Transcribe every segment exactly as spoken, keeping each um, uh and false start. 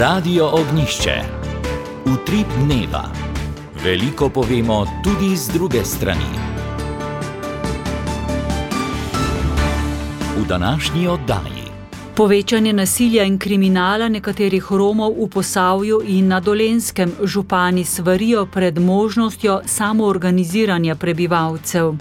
Radio Ognišče. Utrip dneva. Veliko povemo tudi z druge strani. V današnji oddaji. Povečanje nasilja in kriminala nekaterih Romov v Posavju in na Dolenjskem. Župani svarijo pred možnostjo samoorganiziranja prebivalcev.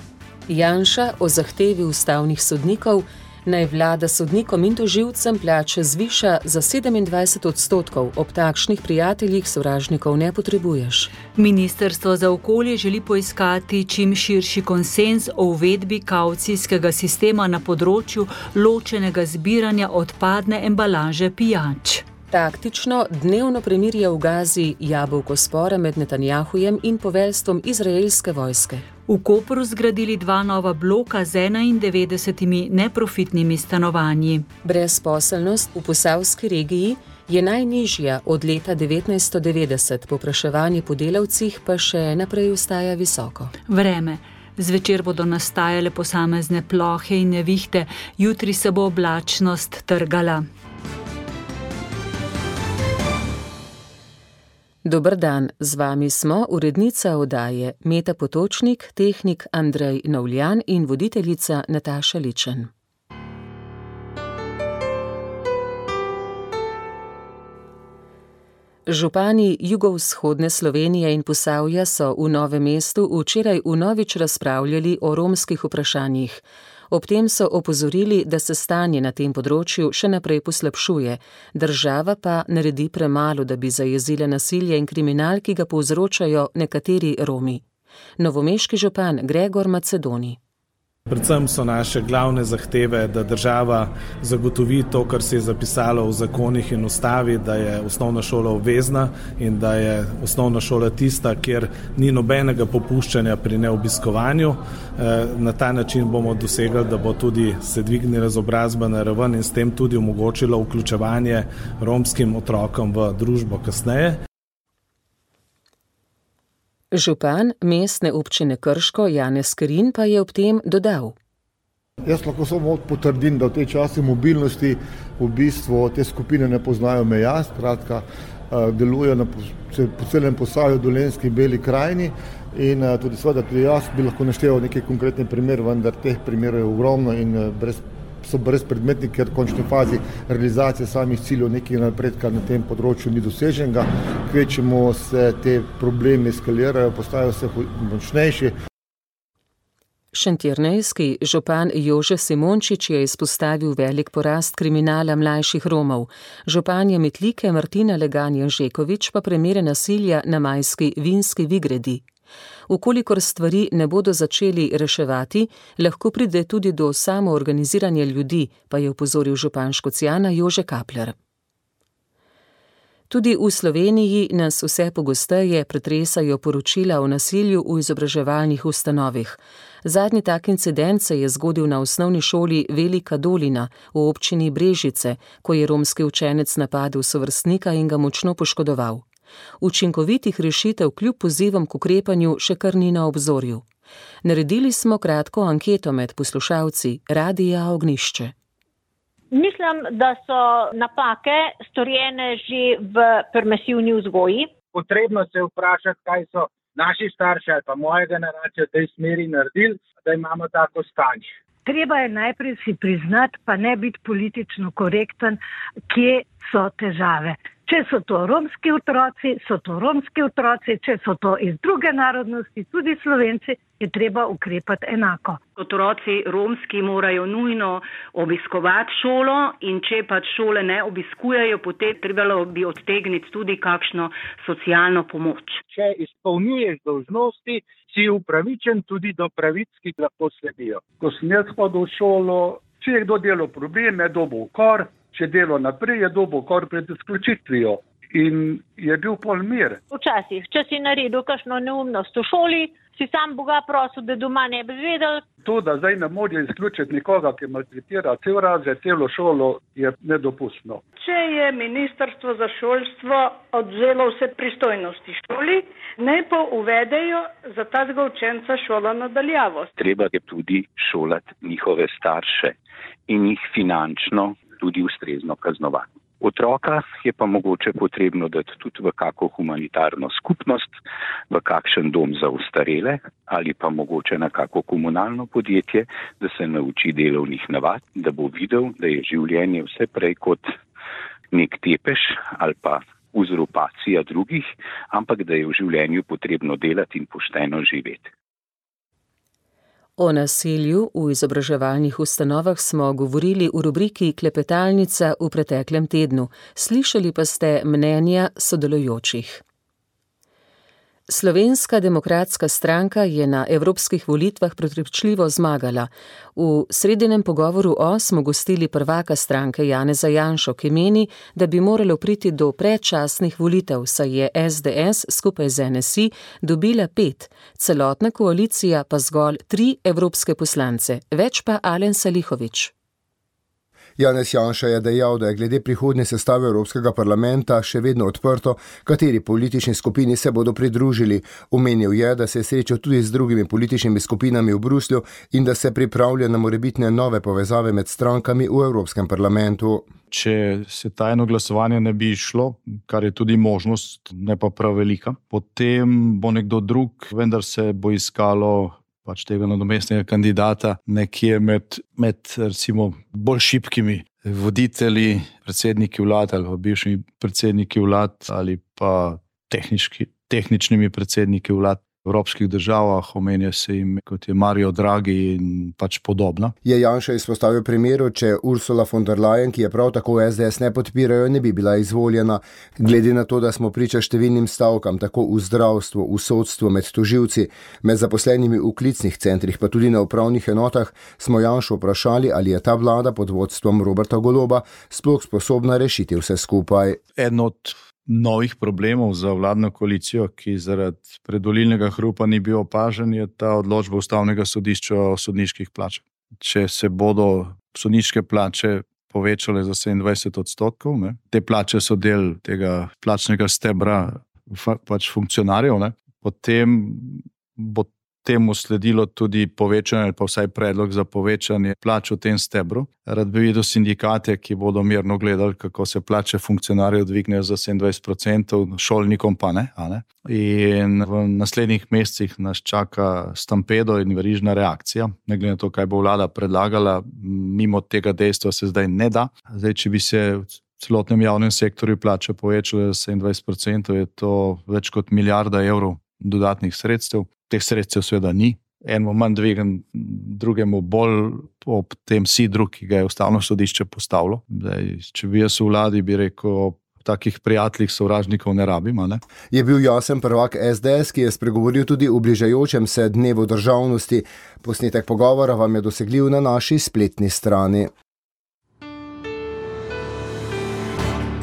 Janša o zahtevi ustavnih sodnikov, naj vlada sodnikom in tožilcem plače zviša za sedemindvajset odstotkov, ob takšnih prijateljih sovražnikov ne potrebuješ. Ministrstvo za okolje želi poiskati čim širši konsenz o uvedbi kavcijskega sistema na področju ločenega zbiranja odpadne embalaže pijač. Taktično dnevno premirje v Gazi, jabolko spora med Netanjahujem in poveljstvom izraelske vojske. V Kopru zgradili dva nova bloka z enaindevetdesetimi neprofitnimi stanovanji. Brezposelnost v posavski regiji je najnižja od leta devetnajststo devetdeset, povpraševanje po delavcih pa še naprej ostaja visoko. Vreme. Zvečer bodo nastajale posamezne plohe in nevihte, jutri se bo oblačnost trgala. Dober dan, z vami smo urednica oddaje Meta Potočnik, tehnik Andrej Novljan in voditeljica Nataša Ličen. Župani jugovzhodne Slovenije in Posavja so v Novem mestu včeraj vnovič razpravljali o romskih vprašanjih. Ob tem so opozorili, da se stanje na tem področju še naprej poslabšuje, država pa naredi premalo, da bi zajezila nasilje in kriminal, ki ga povzročajo nekateri Romi. Novomeški župan Gregor Macedoni. Predvsem so naše glavne zahteve, da država zagotovi to, kar se je zapisalo v zakonih in ustavi, da je osnovna šola obvezna in da je osnovna šola tista, kjer ni nobenega popuščanja pri neobiskovanju. Na ta način bomo dosegli, da bo tudi se dvignila izobrazba na raven in s tem tudi omogočilo vključevanje romskim otrokom v družbo kasneje. Župan mestne občine Krško Janez Kerin pa je ob tem dodal. Jaz lahko samo potrdim, da v tej časi mobilnosti v bistvu te skupine ne poznajo meja, skratka delujejo na, po celem Posavju, Dolenjski, Beli krajini in tudi seveda tudi jaz bi lahko našteval nekaj konkretnih primerov, vendar teh primerov je ogromno in brez so brezpredmetni, ker v končni fazi realizacije samih ciljev nekega napredka na tem področju ni doseženega. Kvečemo se te problemi eskalirajo, postajajo vse močnejši. Šentjernejski župan Jože Simončič je izpostavil velik porast kriminala mlajših Romov. Županja Metlike Martina Legan-Janžekovič pa primere nasilja na majski Vinski Vigredi. Ukolikor stvari ne bodo začeli reševati, lahko pride tudi do samoorganiziranja ljudi, pa je opozoril župan Škocjana Jože Kapler. Tudi v Sloveniji nas vse pogosteje pretresajo poročila o nasilju v izobraževalnih ustanovih. Zadnji tak incident se je zgodil na osnovni šoli Velika Dolina v občini Brežice, ko je romski učenec napadel sovrstnika in ga močno poškodoval. Učinkovitih rešitev kljub pozivom k ukrepanju še kar ni na obzorju. Naredili smo kratko anketo med poslušalci Radia Ognišče. Mislim, da so napake storjene že v permisivni vzgoji. Potrebno se vprašati, kaj so naši starši ali pa moja generacija v tej smeri naredili, da imamo tako stanje. Treba je najprej si priznati, pa ne biti politično korekten, kje so težave. Če so to romski otroci, so to romski otroci, če so to iz druge narodnosti, tudi Slovenci, je treba ukrepati enako. Otroci romski morajo nujno obiskovati šolo in če pač šole ne obiskujejo, potem trebalo bi odtegniti tudi kakšno socialno pomoč. Če izpolnjuješ dolžnosti, si upravičen tudi do pravic, ki lahko sledijo. Ko sem jaz hodil v šolo, če je kdo delal probleme, je dobil ukor, če delo naprej, je dobil ukor pred izključitvijo in je bil pol mir. Včasih, če si naredil kakšno neumnost v šoli, si sam Boga prosil, da doma ne bi vedel. To, da zdaj ne more izključiti nikoga, ki maltretira cel razred, celo šolo, je nedopustno. Če je ministrstvo za šolstvo odvzelo vse pristojnosti šoli, naj pa uvedejo za tazga učenca šola nadaljavo. Treba je tudi šolati njihove starše in jih finančno tudi ustrezno kaznovati. Otroka je pa mogoče potrebno dati tudi v kako humanitarno skupnost, v kakšen dom za ostarele ali pa mogoče na kako komunalno podjetje, da se nauči delovnih navad, da bo videl, da je življenje vse prej kot nek tepež ali pa uzurpacija drugih, ampak da je v življenju potrebno delati in pošteno živeti. O nasilju v izobraževalnih ustanovah smo govorili v rubriki Klepetalnica v preteklem tednu. Slišali pa ste mnenja sodelujočih. Slovenska demokratska stranka je na evropskih volitvah prepričljivo zmagala. V sredinem pogovoru O smo gostili prvaka stranke Janeza Janšo, ki meni, da bi moralo priti do predčasnih volitev, saj je es de es skupaj z en es i dobila pet, celotna koalicija pa zgolj tri evropske poslance, več pa Alen Salihović. Janez Janša je dejal, da je glede prihodnje sestave Evropskega parlamenta še vedno odprto, kateri politični skupini se bodo pridružili. Omenil je, da se je srečal tudi z drugimi političnimi skupinami v Bruslju in da se pripravlja na morebitne nove povezave med strankami v Evropskem parlamentu. Če se tajno glasovanje ne bi šlo, kar je tudi možnost, ne pa prav velika, potem bo nekdo drug, vendar se bo iskalo pač tega nadomestnega kandidata nekje med, med recimo bolj šibkimi voditelji, predsedniki vlad ali pa bivšimi predsedniki vlad ali pa tehnički, tehničnimi predsedniki vlad v evropskih državah, omenja se jim kot je Mario Draghi in pač podobno. Je Janša izpostavil primeru, če Ursula von der Leyen, ki je prav tako es de es ne podpirajo, ne bi bila izvoljena. Glede na to, da smo priča številnim stavkam, tako v zdravstvu, v sodstvu, med tožilci, med zaposlenimi v klicnih centrih, pa tudi na upravnih enotah, smo Janšo vprašali, ali je ta vlada pod vodstvom Roberta Goloba sploh sposobna rešiti vse skupaj. En od novih problemov za vladno koalicijo, ki zaradi predvolilnega hrupa ni bil opažen, je ta odločba Ustavnega sodišča o sodniških plačah. Če se bodo sodniške plače povečale za sedemindvajset odstotkov, ne, te plače so del tega plačnega stebra pač funkcionarjev, ne, potem bo temu sledilo tudi povečanje ali pa vsaj predlog za povečanje plač v tem stebru. Rad bi videl sindikate, ki bodo mirno gledali, kako se plače funkcionarjev dvignejo za sedemindvajset procentov, šolnikom pa ne, a ne. In v naslednjih mesecih nas čaka stampedo in verižna reakcija. Ne glede na to, kaj bo vlada predlagala, mimo tega dejstva se zdaj ne da. Zdaj, če bi se v celotnem javnem sektorju plače povečale za sedemindvajset procentov, je to več kot milijarda evrov dodatnih sredstev. Teh sredstev seveda ni. Enemu manj dvigen, drugemu bolj ob tem sidru, ki ga je Ustavno sodišče postavilo. Zdaj, če bi jaz v vladi, bi rekel, takih prijateljih sovražnikov ne rabim, ne? Je bil jasen prvak es de es, ki je spregovoril tudi v bližajočem se dnevu državnosti. Posnetek pogovora vam je dosegljiv na naši spletni strani.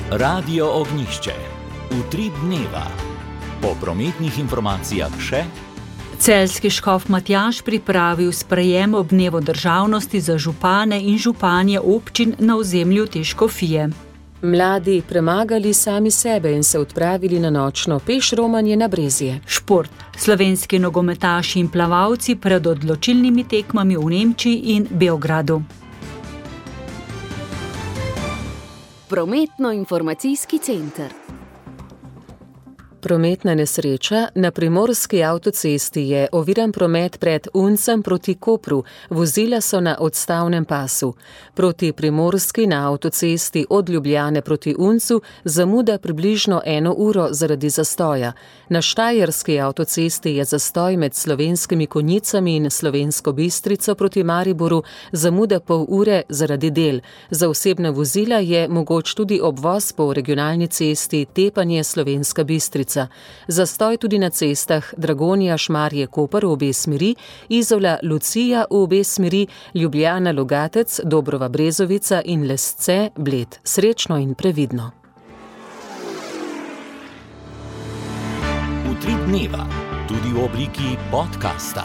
Radio Ognjišče. Utrip dneva. Po prometnih informacijah še Celjski škof Matjaž pripravil sprejem ob dnevu državnosti za župane in županje občin na ozemlju te škofije. Mladi premagali sami sebe in se odpravili na nočno pešromanje na Brezje. Šport. Slovenski nogometaši in plavalci pred odločilnimi tekmami v Nemčiji in Beogradu. Prometno-informacijski center. Prometna nesreča na primorski avtocesti je oviran promet pred Uncem proti Kopru. Vozila so na odstavnem pasu. Proti primorski na avtocesti od Ljubljane proti Uncu zamuda približno eno uro zaradi zastoja. Na štajerski avtocesti je zastoj med Slovenskimi Konjicami in Slovensko Bistrico proti Mariboru, zamuda pol ure zaradi del. Za osebna vozila je mogoč tudi obvoz po regionalni cesti Tepanje Slovenska Bistrica. Zastoj tudi na cestah Dragonja Šmarje Koper v obe smeri, Izola Lucija v obe smeri, Ljubljana Logatec, Dobrova Brezovica in Lesce Bled. Srečno in previdno. Utrip dneva, tudi v obliki podcasta.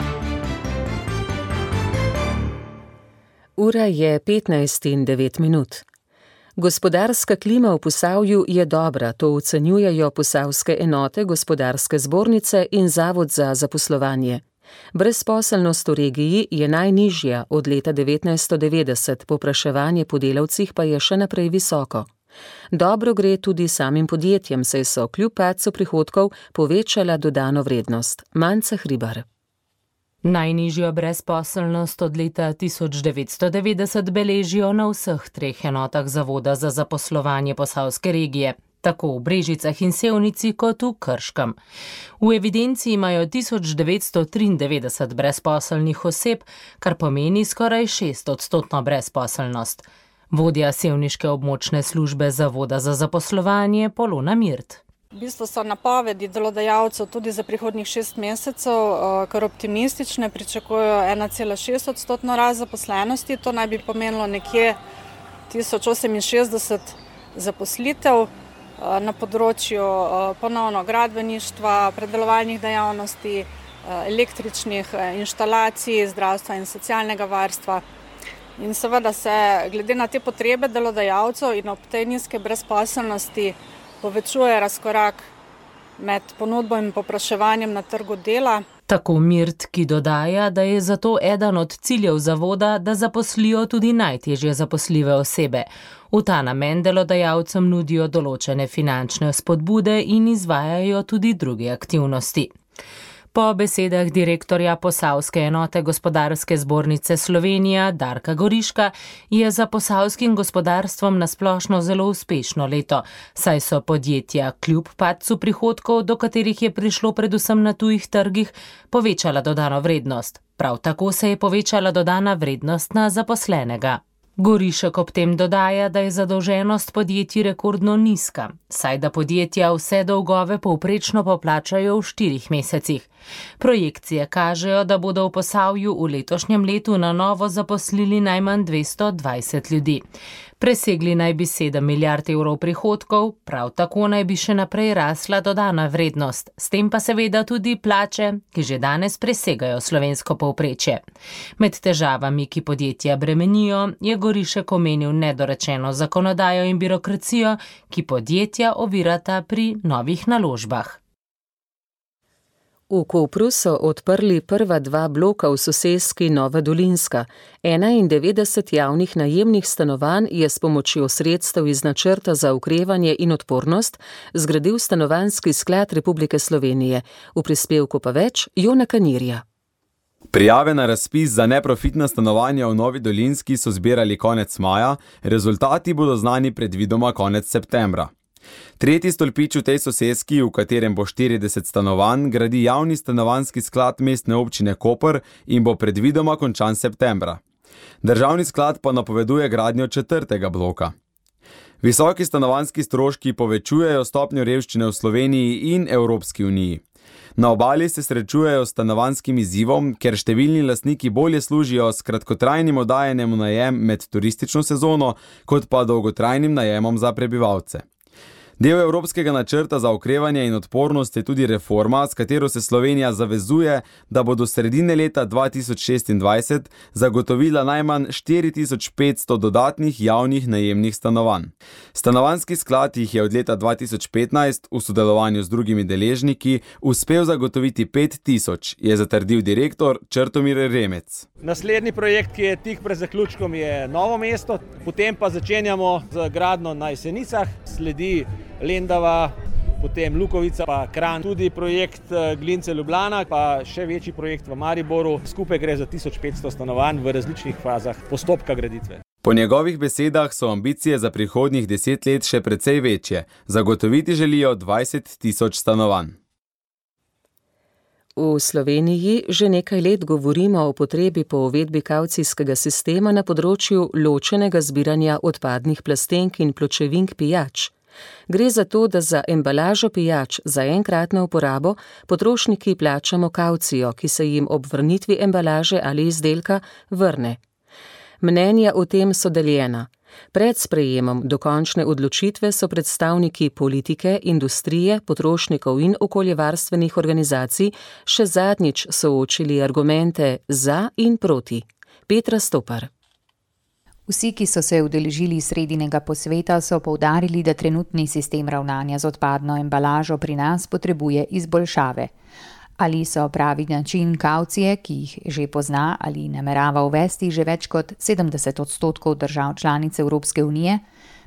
Ura je petnajst in devet minut. Gospodarska klima v Posavju je dobra, to ocenjujejo posavske enote, gospodarske zbornice in Zavod za zaposlovanje. Brezposelnost v regiji je najnižja od leta devetnajststo devetdeset, povpraševanje po delavcih pa je še naprej visoko. Dobro gre tudi samim podjetjem, saj so kljub padcu prihodkov povečala dodano vrednost. Manca Hribar. Najnižjo brezposelnost od leta tisoč devetsto devetdeset beležijo na vseh treh enotah Zavoda za zaposlovanje Posavske regije, tako v Brežicah in Sevnici kot v Krškem. V evidenci imajo tisoč devetsto triindevetdeset brezposelnih oseb, kar pomeni skoraj šest odstotno brezposelnost. Vodja sevniške območne službe Zavoda za zaposlovanje Polona Mirt. V bistvu so napovedi delodajalcev tudi za prihodnjih šest mesecev kar optimistične, pričakujejo ena cela šest odstotno rast zaposlenosti, to naj bi pomenilo nekje tisoč oseminšestdeset zaposlitev na področju ponovno gradbeništva, predelovalnih dejavnosti, električnih inštalacij, zdravstva in socialnega varstva. In seveda se glede na te potrebe delodajalcev in ob tej nizke brezposelnosti povečuje razkorak med ponudbo in povpraševanjem na trgu dela. Tako Mirt, ki dodaja, da je zato eden od ciljev zavoda, da zaposlijo tudi najtežje zaposljive osebe. V ta namen delodajalcem nudijo določene finančne spodbude in izvajajo tudi druge aktivnosti. Po besedah direktorja Posavske enote Gospodarske zbornice Slovenija Darka Goriška je za posavskim gospodarstvom nasplošno zelo uspešno leto, saj so podjetja kljub padcu prihodkov, do katerih je prišlo predvsem na tujih trgih, povečala dodano vrednost. Prav tako se je povečala dodana vrednost na zaposlenega. Gorišek ob tem dodaja, da je zadolženost podjetij rekordno nizka, saj da podjetja vse dolgove povprečno poplačajo v štirih mesecih. Projekcije kažejo, da bodo v Posavju v letošnjem letu na novo zaposlili najmanj dvesto dvajset ljudi. Presegli naj bi sedem milijard evrov prihodkov, prav tako naj bi še naprej rasla dodana vrednost, s tem pa seveda tudi plače, ki že danes presegajo slovensko povprečje. Med težavami, ki podjetja bremenijo, je Gorišek omenil nedorečeno zakonodajo in birokracijo, ki podjetja ovirata pri novih naložbah. V Kopru so odprli prva dva bloka v soseski Nova Dolinska. enaindevetdeset javnih najemnih stanovanj je s pomočjo sredstev iz načrta za okrevanje in odpornost zgradil Stanovanjski sklad Republike Slovenije. V prispevku pa več Jona Kanirja. Prijave na razpis za neprofitna stanovanja v Novi Dolinski so zbirali konec maja, rezultati bodo znani predvidoma konec septembra. Tretji stolpič v tej soseski, v katerem bo štirideset stanovanj, gradi javni stanovanjski sklad Mestne občine Koper in bo predvidoma končan septembra. Državni sklad pa napoveduje gradnjo četrtega bloka. Visoki stanovanjski stroški povečujejo stopnjo revščine v Sloveniji in Evropski uniji. Na obali se srečujejo s stanovanjskim izzivom, ker številni lastniki bolje služijo s kratkotrajnim oddajanjem v najem med turistično sezono, kot pa dolgotrajnim najemom za prebivalce. Del Evropskega načrta za okrevanje in odpornost je tudi reforma, s katero se Slovenija zavezuje, da bo do sredine leta dva tisoč šestindvajset zagotovila najmanj štiri tisoč petsto dodatnih javnih najemnih stanovanj. Stanovanjski sklad jih je od leta dva tisoč petnajst v sodelovanju z drugimi deležniki uspel zagotoviti pet tisoč, je zatrdil direktor Črtomir Remec. Naslednji projekt, ki je tik pred zaključkom, je Novo mesto, potem pa začenjamo z gradnjo na Jesenicah, sledi Lendava, potem Lukovica, pa Kranj, tudi projekt Glince Ljubljana, pa še večji projekt v Mariboru. Skupaj gre za tisoč petsto stanovanj v različnih fazah postopka graditve. Po njegovih besedah so ambicije za prihodnjih deset let še precej večje. Zagotoviti želijo dvajset tisoč stanovanj. V Sloveniji že nekaj let govorimo o potrebi po uvedbi kavcijskega sistema na področju ločenega zbiranja odpadnih plastenk in pločevink pijač. Gre za to, da za embalažo pijač za enkratno uporabo potrošniki plačamo kavcijo, ki se jim ob vrnitvi embalaže ali izdelka vrne. Mnenja o tem so deljena. Pred sprejemom dokončne odločitve so predstavniki politike, industrije, potrošnikov in okoljevarstvenih organizacij še zadnjič soočili argumente za in proti. Petra Stopar. Vsi, ki so se udeležili sredinega posveta, so poudarili, da trenutni sistem ravnanja z odpadno embalažo pri nas potrebuje izboljšave. Ali so pravi način kavcije, ki jih že pozna ali namerava uvesti že več kot sedemdeset odstotkov držav članic Evropske unije,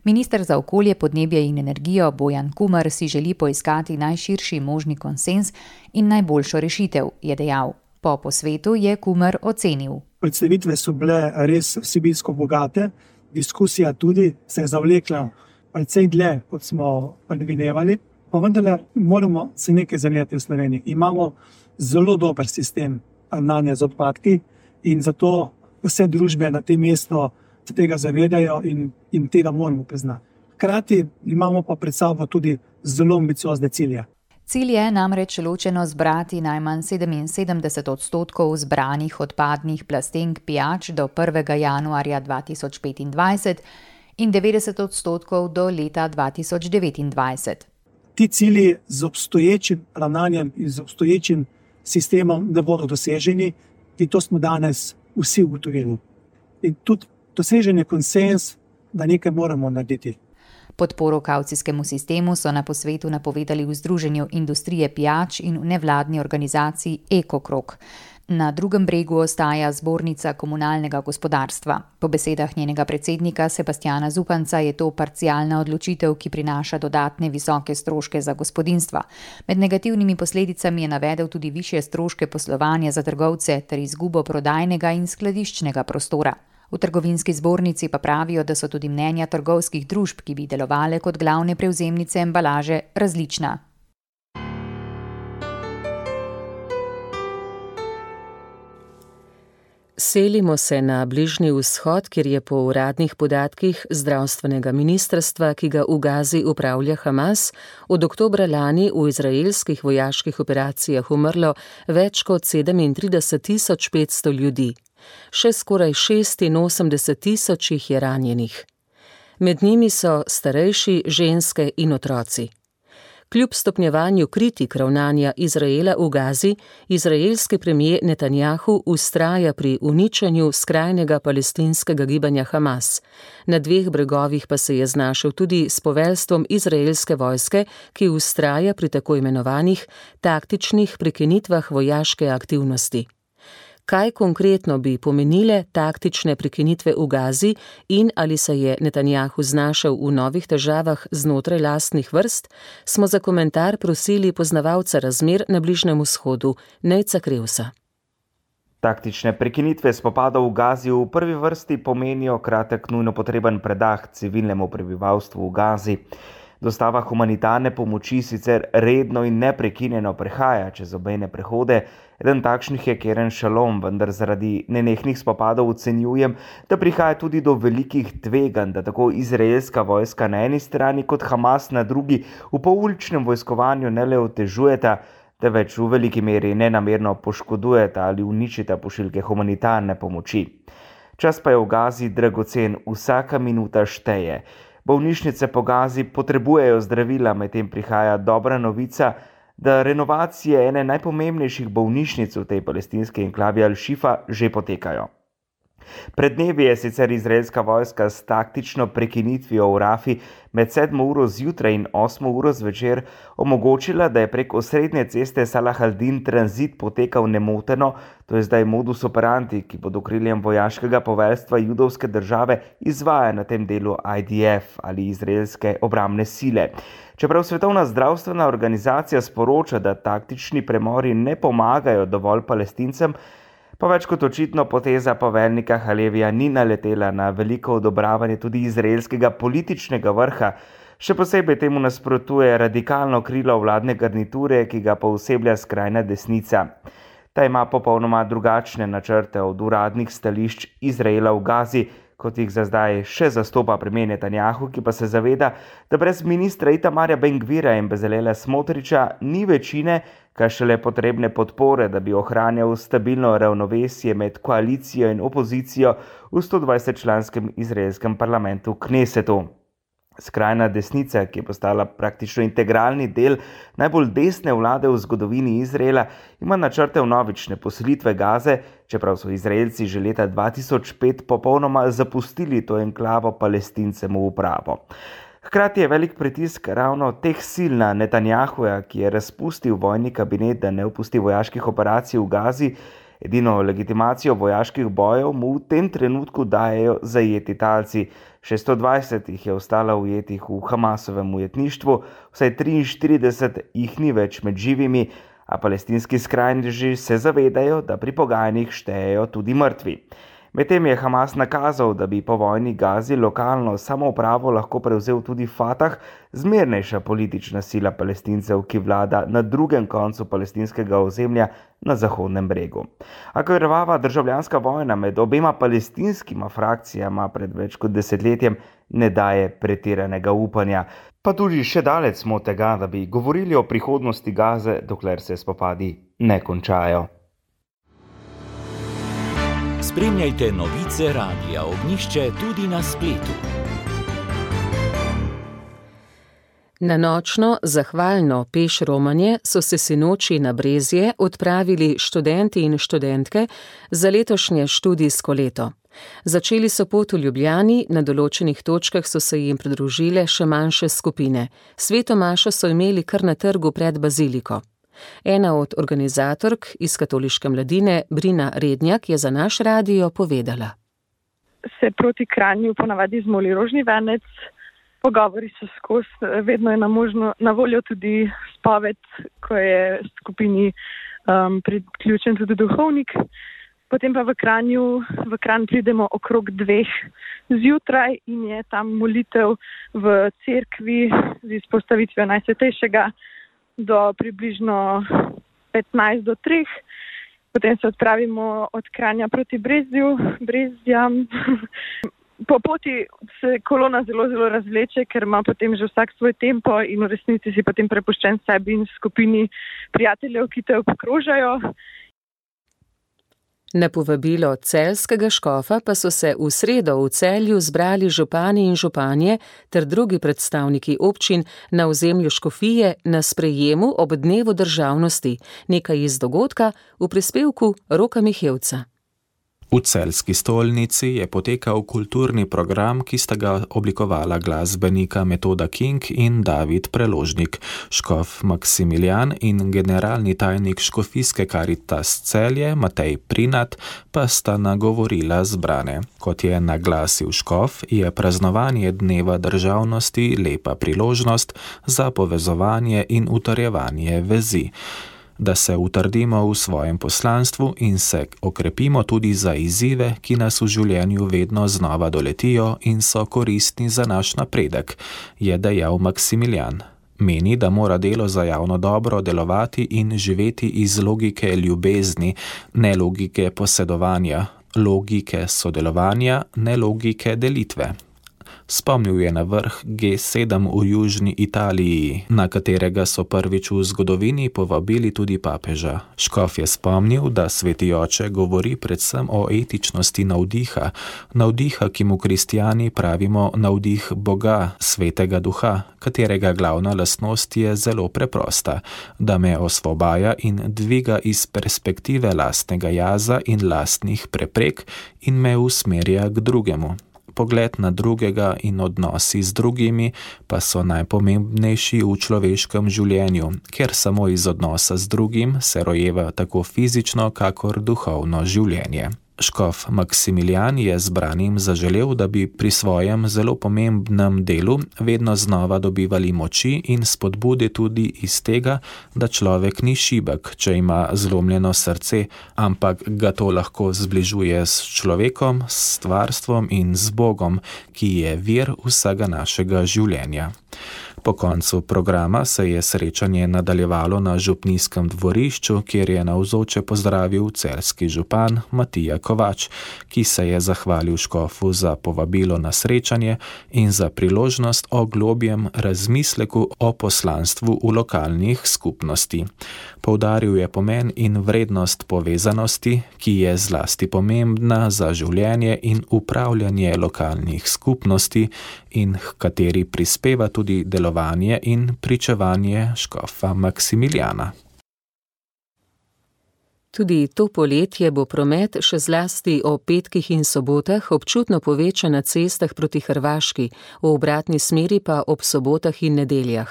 Minister za okolje, podnebje in energijo Bojan Kumer si želi poiskati najširši možni konsenz in najboljšo rešitev, je dejal. Po posvetu je Kumer ocenil. Predstavitve so bile res vsebinsko bogate, diskusija tudi se je zavlekla precej dlje, kot smo predvidevali, pa vendarle moramo se nekaj zavedati v Sloveniji. Imamo zelo dober sistem ravnanja z odpadki in zato vse družbe na tem mestu se tega zavedajo in, in tega moramo priznati. Hkrati imamo pa pred sabo tudi zelo ambiciozne cilje. Cilj je namreč ločeno zbrati najmanj sedeminsedemdeset odstotkov zbranih odpadnih plastenk pijač do prvega januarja dva tisoč petindvajset in devetdeset odstotkov do leta dva tisoč devetindvajset. Ti cilji z obstoječim ravnanjem in z obstoječim sistemom ne bodo doseženi in to smo danes vsi ugotovili. In tudi dosežen je konsenz, da nekaj moramo narediti. Podporo kavcijskemu sistemu so na posvetu napovedali v Združenju industrije pijač in v nevladni organizaciji Ekokrog. Na drugem bregu ostaja zbornica komunalnega gospodarstva. Po besedah njenega predsednika Sebastjana Zupanca je to parcialna odločitev, ki prinaša dodatne visoke stroške za gospodinjstva. Med negativnimi posledicami je navedel tudi višje stroške poslovanja za trgovce ter izgubo prodajnega in skladiščnega prostora. V trgovinski zbornici pa pravijo, da so tudi mnenja trgovskih družb, ki bi delovale kot glavne prevzemnice embalaže, različna. Selimo se na Bližnji vzhod, kjer je po uradnih podatkih zdravstvenega ministrstva, ki ga v Gazi upravlja Hamas, od oktobra lani v izraelskih vojaških operacijah umrlo več kot sedemintrideset tisoč petsto ljudi. Še skoraj šestinosemdeset tisoč jih je ranjenih. Med njimi so starejši, ženske in otroci. Kljub stopnjevanju kritik ravnanja Izraela v Gazi, izraelski premijer Netanjahu vztraja pri uničenju skrajnega palestinskega gibanja Hamas. Na dveh bregovih pa se je znašel tudi s poveljstvom izraelske vojske, ki vztraja pri tako imenovanih taktičnih prekinitvah vojaške aktivnosti. Kaj konkretno bi pomenile taktične prekinitve v Gazi in ali se je Netanjahu znašel v novih težavah znotraj lastnih vrst, smo za komentar prosili poznavalca razmer na Bližnjem vzhodu, Nejca Krevsa. Taktične prekinitve spopadov v Gazi v prvi vrsti pomenijo kratek nujno potreben predah civilnemu prebivalstvu v Gazi. Dostava humanitarne pomoči sicer redno in neprekinjeno prehaja čez obmejne prehode. Eden takšnih je Kerem Shalom, vendar zaradi nenehnih spopadov ocenjujem, da prihaja tudi do velikih tveganj, da tako izraelska vojska na eni strani kot Hamas na drugi v pouličnem vojskovanju ne le otežujeta, da več v veliki meri nenamerno poškodujeta ali uničita pošiljke humanitarne pomoči. Čas pa je v Gazi dragocen, vsaka minuta šteje. Bolnišnice po Gazi potrebujejo zdravila, medtem prihaja dobra novica, da renovacije ene najpomembnejših bolnišnic v tej palestinski enklavi Al-Šifa že potekajo. Pred dnevi je sicer izraelska vojska s taktično prekinitvijo v Rafi med sedmo uro zjutraj in osmo uro zvečer omogočila, da je prek osrednje ceste Salah al-Din tranzit potekal nemoteno, to je zdaj modus operandi, ki pod okriljem vojaškega poveljstva judovske države izvaja na tem delu I D F ali izraelske obrambne sile. Čeprav Svetovna zdravstvena organizacija sporoča, da taktični premori ne pomagajo dovolj Palestincem, pa več kot očitno poteza poveljnika Halevija ni naletela na veliko odobravanje tudi izraelskega političnega vrha. Še posebej temu nasprotuje radikalno krilo vladne garniture, ki ga pooseblja skrajna desnica. Ta ima popolnoma drugačne načrte od uradnih stališč Izraela v Gazi, kot jih za zdaj še zastopa premijer Netanjahu, ki pa se zaveda, da brez ministra Itamarja Ben-Gvira in Bezalela Smotriča ni večine, kaj šele potrebne podpore, da bi ohranjal stabilno ravnovesje med koalicijo in opozicijo v stodvajsetčlanskem izraelskem parlamentu Knesetu. Skrajna desnica, ki je postala praktično integralni del najbolj desne vlade v zgodovini Izraela, ima načrte vnovične poselitve Gaze, čeprav so Izraelci že leta dva tisoč pet popolnoma zapustili to enklavo Palestincem v upravo. Hkrati je velik pritisk ravno teh sil na Netanjahuja, ki je razpustil vojni kabinet, da ne opusti vojaških operacij v Gazi, Edino legitimacijo vojaških bojev mu v tem trenutku dajejo zajeti talci. šeststo dvajset jih je ostalo ujetih v Hamasovem ujetništvu, vsaj triinštirideset jih ni več med živimi, a palestinski skrajneži se zavedajo, da pri pogajanjih štejejo tudi mrtvi. Medtem je Hamas nakazal, da bi po vojni Gazi lokalno samoupravo lahko prevzel tudi Fatah, zmernejša politična sila Palestincev, ki vlada na drugem koncu palestinskega ozemlja na Zahodnem bregu. A krvava državljanska vojna med obema palestinskima frakcijama pred več kot desetletjem ne daje pretiranega upanja. Pa tudi še daleč smo od tega, da bi govorili o prihodnosti Gaze, dokler se spopadi ne končajo. Spremljajte novice Radia Ognjišče tudi na spletu. Na nočno, zahvalno peš romanje so se sinoči na Brezje odpravili študenti in študentke za letošnje študijsko leto. Začeli so pot v Ljubljani, na določenih točkah so se jim pridružile še manjše skupine. Sveto mašo so imeli kar na trgu pred baziliko. Ena od organizatork iz katoliške mladine, Brina Rednjak, je za naš radio povedala. Se proti Kranju ponavadi zmoli rožni venec, pogovori so skozi, vedno je na, možno, na voljo tudi spoved, ko je skupini um, priključen tudi duhovnik. Potem pa v Kranju, v Kranj pridemo okrog dveh zjutraj in je tam molitev v cerkvi z izpostavitvijo Najsvetejšega do približno petnajst do treh. Potem se odpravimo od Kranja proti Brezju, Brezjam. Po poti se kolona zelo, zelo razvleče, ker ima potem že vsak svoj tempo in v resnici si potem prepuščen sebi in skupini prijateljev, ki te obkrožajo. Na povabilo celjskega škofa pa so se v sredo v Celju zbrali župani in županje ter drugi predstavniki občin na ozemlju škofije na sprejemu ob dnevu državnosti, nekaj iz dogodka v prispevku Roka Mihevca. V celjski stolnici je potekal kulturni program, ki sta ga oblikovala glasbenika Metoda King in David Preložnik. Škof Maksimilijan in generalni tajnik škofijske Karitas Celje Matej Prinat pa sta nagovorila zbrane. Kot je naglasil škof, je praznovanje dneva državnosti lepa priložnost za povezovanje in utrjevanje vezi, da se utrdimo v svojem poslanstvu in se okrepimo tudi za izzive, ki nas v življenju vedno znova doletijo in so koristni za naš napredek, je dejal Maksimilijan. Meni, da mora delo za javno dobro delovati in živeti iz logike ljubezni, ne logike posedovanja, logike sodelovanja, ne logike delitve. Spomnil je na vrh G sedem v Južni Italiji, na katerega so prvič v zgodovini povabili tudi papeža. Škof je spomnil, da sveti oče govori predvsem o etičnosti navdiha, navdiha, ki mu kristjani pravimo navdih Boga, svetega duha, katerega glavna lastnost je zelo preprosta, da me osvobaja in dviga iz perspektive lastnega jaza in lastnih preprek in me usmerja k drugemu. Pogled na drugega in odnosi z drugimi pa so najpomembnejši v človeškem življenju, ker samo iz odnosa z drugim se rojeva tako fizično, kakor duhovno življenje. Škof Maksimilijan je zbranim zaželel, da bi pri svojem zelo pomembnem delu vedno znova dobivali moči in spodbude tudi iz tega, da človek ni šibek, če ima zlomljeno srce, ampak ga to lahko zbližuje s človekom, s stvarstvom in z Bogom, ki je vir vsega našega življenja. Po koncu programa se je srečanje nadaljevalo na župnijskem dvorišču, kjer je navzoče pozdravil celjski župan Matija Kovač, ki se je zahvalil škofu za povabilo na srečanje in za priložnost o globjem razmisleku o poslanstvu v lokalnih skupnosti. Poudaril je pomen in vrednost povezanosti, ki je zlasti pomembna za življenje in upravljanje lokalnih skupnosti in h kateri prispeva tudi delovanje in pričevanje škofa Maksimilijana. Tudi to poletje bo promet še zlasti o petkih in sobotah občutno povečan na cestah proti Hrvaški, v obratni smeri pa ob sobotah in nedeljah.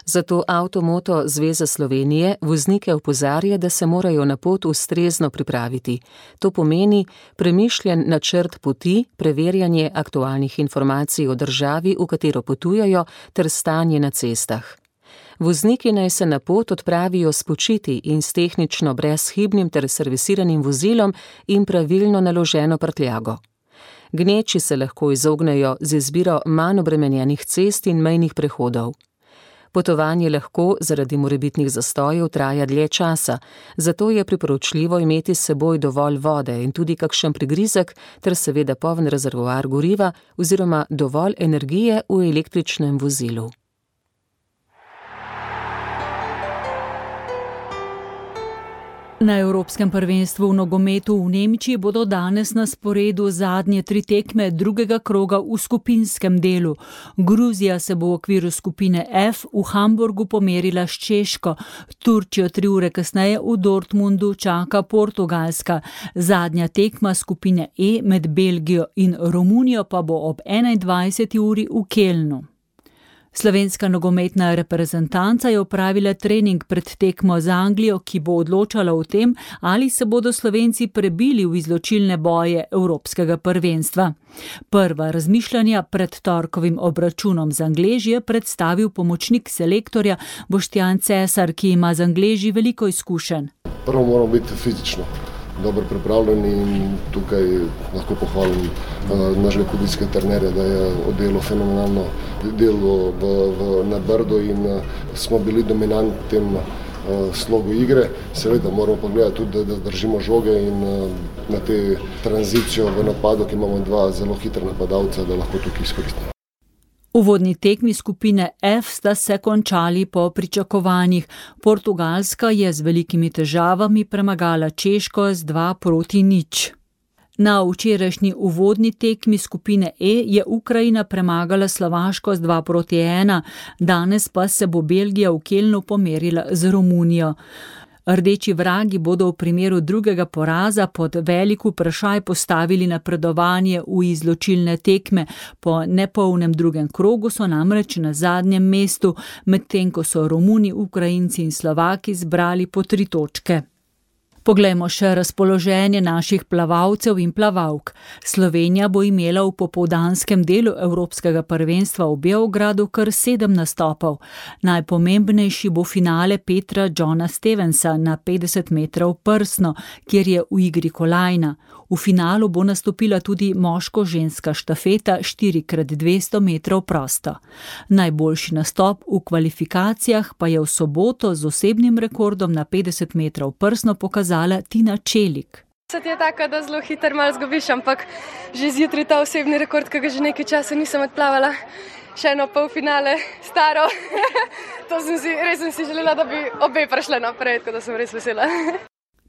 Zato Avtomoto Zveza Slovenije voznike opozarja, da se morajo na pot ustrezno pripraviti. To pomeni premišljen načrt poti, preverjanje aktualnih informacij o državi, v katero potujajo, ter stanje na cestah. Vozniki naj se na pot odpravijo spočiti in s tehnično brezhibnim ter servisiranim vozilom in pravilno naloženo prtljago. Gneči se lahko izognejo z izbiro manj obremenjenih cest in mejnih prehodov. Potovanje lahko zaradi morebitnih zastojev traja dlje časa, zato je priporočljivo imeti s seboj dovolj vode in tudi kakšen prigrizek ter seveda poln rezervoar goriva oziroma dovolj energije v električnem vozilu. Na Evropskem prvenstvu v nogometu v Nemčiji bodo danes na sporedu zadnje tri tekme drugega kroga v skupinskem delu. Gruzija se bo v okviru skupine F v Hamburgu pomerila s Češko. Turčijo tri ure kasneje v Dortmundu čaka Portugalska. Zadnja tekma skupine E med Belgijo in Romunijo pa bo ob enaindvajseti uri v Kelnu. Slovenska nogometna reprezentanca je opravila trening pred tekmo z Anglijo, ki bo odločala o tem, ali se bodo Slovenci prebili v izločilne boje Evropskega prvenstva. Prva razmišljanja pred torkovim obračunom z Angleži je predstavil pomočnik selektorja Boštjan Cesar, ki ima z Angleži veliko izkušenj. Prvo moramo biti fizično dobro pripravljeni in tukaj lahko pohvalim uh, našega kodijskega trenerja, da je oddelal fenomenalno delo v, v, na Brdu in uh, smo bili dominantni tem uh, slogu igre. Seveda moramo pogledati tudi, da, da držimo žoge in uh, na te tranzicijo v napadu, ki imamo dva zelo hitra napadalca, da lahko tukaj izkoristimo. Uvodni tekmi skupine F sta se končali po pričakovanjih. Portugalska je z velikimi težavami premagala Češko z dva proti nič. Na včerajšnji uvodni tekmi skupine E je Ukrajina premagala Slovaško z dva proti ena, danes pa se bo Belgija v Kelnu pomerila z Romunijo. Rdeči vragi bodo v primeru drugega poraza pod velik vprašaj postavili napredovanje v izločilne tekme. Po nepolnem drugem krogu so namreč na zadnjem mestu, medtem ko so Romuni, Ukrajinci in Slovaki zbrali po tri točke. Poglejmo še razpoloženje naših plavalcev in plavalk. Slovenija bo imela v popoldanskem delu Evropskega prvenstva v Beogradu kar sedem nastopov. Najpomembnejši bo finale Petra Johna Stevensa na petdeset metrov prsno, kjer je v igri kolajna. V finalu bo nastopila tudi moško-ženska štafeta štiri krat dvesto metrov prosto. Najboljši nastop v kvalifikacijah pa je v soboto z osebnim rekordom na petdeset metrov prsno pokazala Tina Čelik. Se ti je taka, da zelo hitro malo zgubiš, ampak že zjutraj ta osebni rekord, ki ga že nekaj časa nisem odplavala. Še eno polfinale, staro. To sem si, res sem si želela, da bi obe prišle naprej, tako da sem res vesela.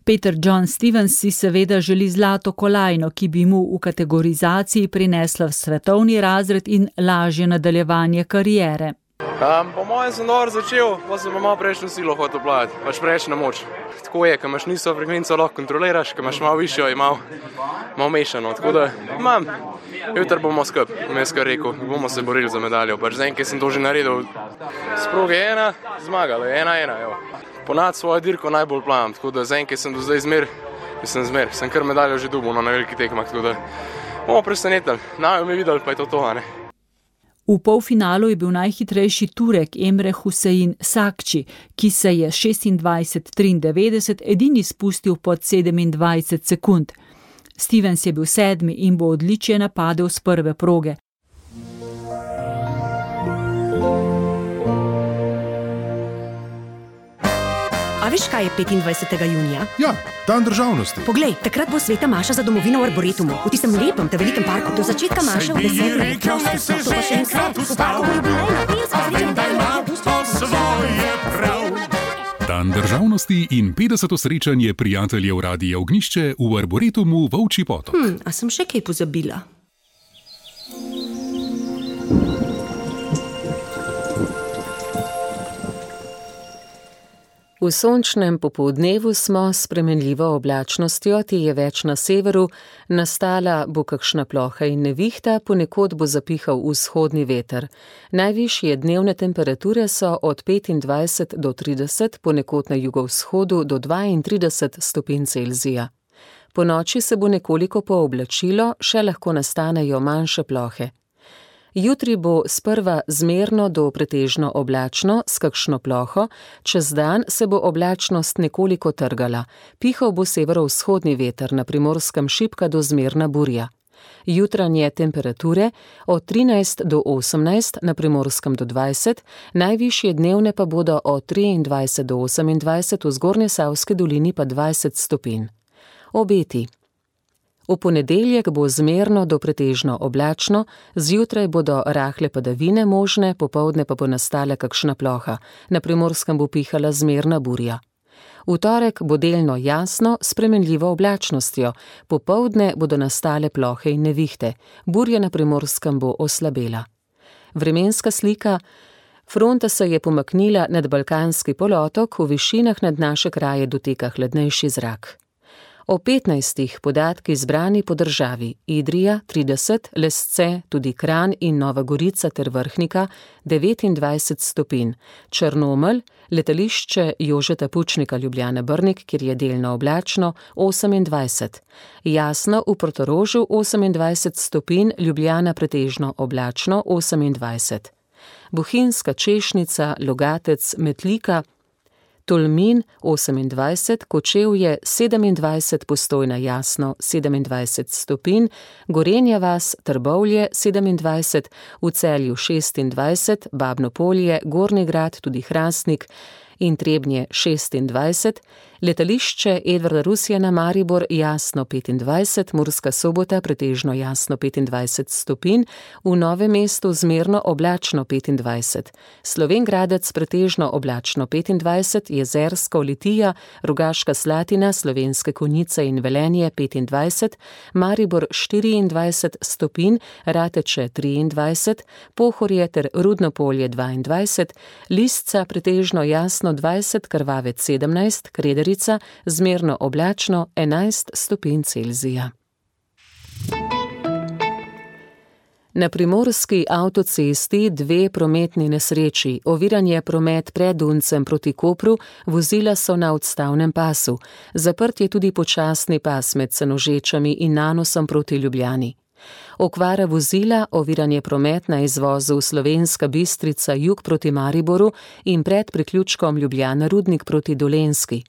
Peter John Stevens si seveda želi zlato kolajno, ki bi mu v kategorizaciji prinesla svetovni razred in lažje nadaljevanje kariere. Um, po mojem sem dobro začel, pa sem pa malo prejšnjo silo hotel plavati, pač prejšnja moč. Tako je, ko imaš niso frekvenco, lahko kontroliraš, ko imaš malo višjo in malo, malo mešano. Tako da imam, jutri bomo skup, vmes kar rekel, bomo se borili za medaljo. Pač zdaj, ker sem to že naredil, sproge ena, zmagala, ena, ena, jo. Ponad svojo dirko najbolj plavam, tako da zdaj, ker sem do zdaj zmer, sem zmer, sem kar medaljo že dubil, no, na veliki tekmah, tako da bomo presenetili, naj mi videli, pa je to to, a ne. V polfinalu je bil najhitrejši Turek Emre Hussein Sakči, ki se je šestindvajset triindevetdeset edini spustil pod sedemindvajset sekund. Stevens je bil sedmi in bo odličje napadel s prve proge. A veš, kaj je petindvajsetega junija? Ja, dan državnosti. Poglej, takrat bo sveta maša za domovino v Arboretumu, v tistem lepem, te velikem parku, do začetka maše v deset let. To pa še enkrat, v parku bo bila ena pevska srečanja. Dan državnosti in petdeseto srečanje prijateljev Radia Ognjišče v Arboretumu Volčji Potok. Hm, a sem še kaj pozabila? V V sončnem popoldnevu smo s spremenljivo oblačnostjo, ti je več na severu, nastala bo kakšna ploha in nevihta, ponekod bo zapihal vzhodni veter. Najvišje dnevne temperature so od petindvajset do trideset, ponekod na jugovzhodu do dvaintrideset stopinj Celzija. Po noči se bo nekoliko pooblačilo, še lahko nastanejo manjše plohe. Jutri bo sprva zmerno do pretežno oblačno s kakšno ploho, čez dan se bo oblačnost nekoliko trgala. Pihal bo severovzhodni veter, na Primorskem šibka do zmerna burja. Jutranje temperature od trinajst do osemnajst, na Primorskem do dvajset, najvišje dnevne pa bodo od triindvajset do osemindvajset, v Zgornjesavski dolini pa dvajset stopinj. Obeti. V ponedeljek bo zmerno do pretežno oblačno, zjutraj bodo rahle padavine možne, popoldne pa bo nastala kakšna ploha. Na Primorskem bo pihala zmerna burja. V torek bo delno jasno s spremenljivo oblačnostjo, popoldne bodo nastale plohe in nevihte. Burja na Primorskem bo oslabela. Vremenska slika. Fronta se je pomaknila nad Balkanski polotok, v višinah nad naše kraje doteka hladnejši zrak. O petnajstih podatki zbrani po državi: Idrija trideset, Lesce, tudi Kranj in Nova Gorica ter Vrhnika devetindvajset stopinj, Črnomelj, letališče Jožeta Pučnika Ljubljana Brnik, kjer je delno oblačno, osemindvajset, Jasno v Portorožu osemindvajset stopinj, Ljubljana pretežno oblačno osemindvajset, Bohinjska Češnica, Logatec, Metlika, Tolmin osemindvajset, Kočevje sedemindvajset, Postojna Jasno sedemindvajset stopinj, Gorenja vas, Trbovlje sedemindvajset, v Celju šestindvajset, Babno Polje, Gornji Grad, tudi Hrastnik in Trebnje šestindvajset, letališče Edvarda Rusjana Maribor jasno petindvajset, Murska Sobota pretežno jasno petindvajset stopinj, v Novem mestu zmerno oblačno petindvajset, Slovenj Gradec pretežno oblačno petindvajset, Jezersko, Litija, Rogaška Slatina, Slovenske Konjice in Velenje petindvajset, Maribor štiriindvajset stopinj, Rateče triindvajset, Pohorje ter Rudno Polje dvaindvajset, Lisca pretežno jasno dvajset, Krvavec sedemnajst, Krederica zmerno oblačno enajst stopinj Celzija. Na primorski avtocesti dve prometni nesreči, oviran je promet pred Duncem proti Kopru, vozila so na odstavnem pasu, zaprt je tudi počasni pas med Senožečami in Nanosom proti Ljubljani. Okvara vozila, oviran je promet na izvozu Slovenska Bistrica jug proti Mariboru in pred priključkom Ljubljana Rudnik proti Dolenjski.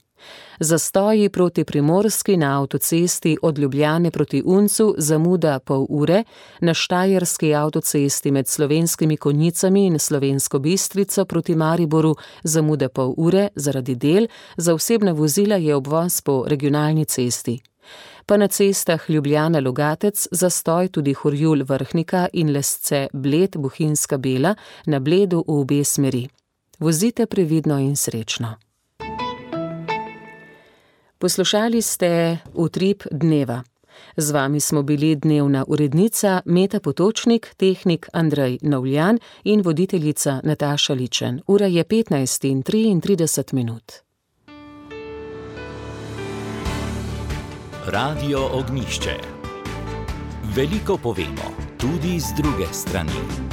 Zastoji proti Primorski na avtocesti od Ljubljane proti Uncu, zamuda pol ure, na Štajerski avtocesti med Slovenskimi Konjicami in Slovensko Bistrico proti Mariboru zamuda pol ure zaradi del, za osebna vozila je obvoz po regionalni cesti. Pa na cestah Ljubljana-Logatec zastoj tudi Horjul Vrhnika in Lesce Bled Bohinjska Bela na Bledu v obe smeri. Vozite previdno in srečno. Poslušali ste Utrip dneva. Z vami smo bili dnevna urednica Meta Potočnik, tehnik Andrej Novljan in voditeljica Nataša Ličen. Ura je petnajst in triintrideset minut. Radio Ognjišče. Veliko povemo, tudi z druge strani.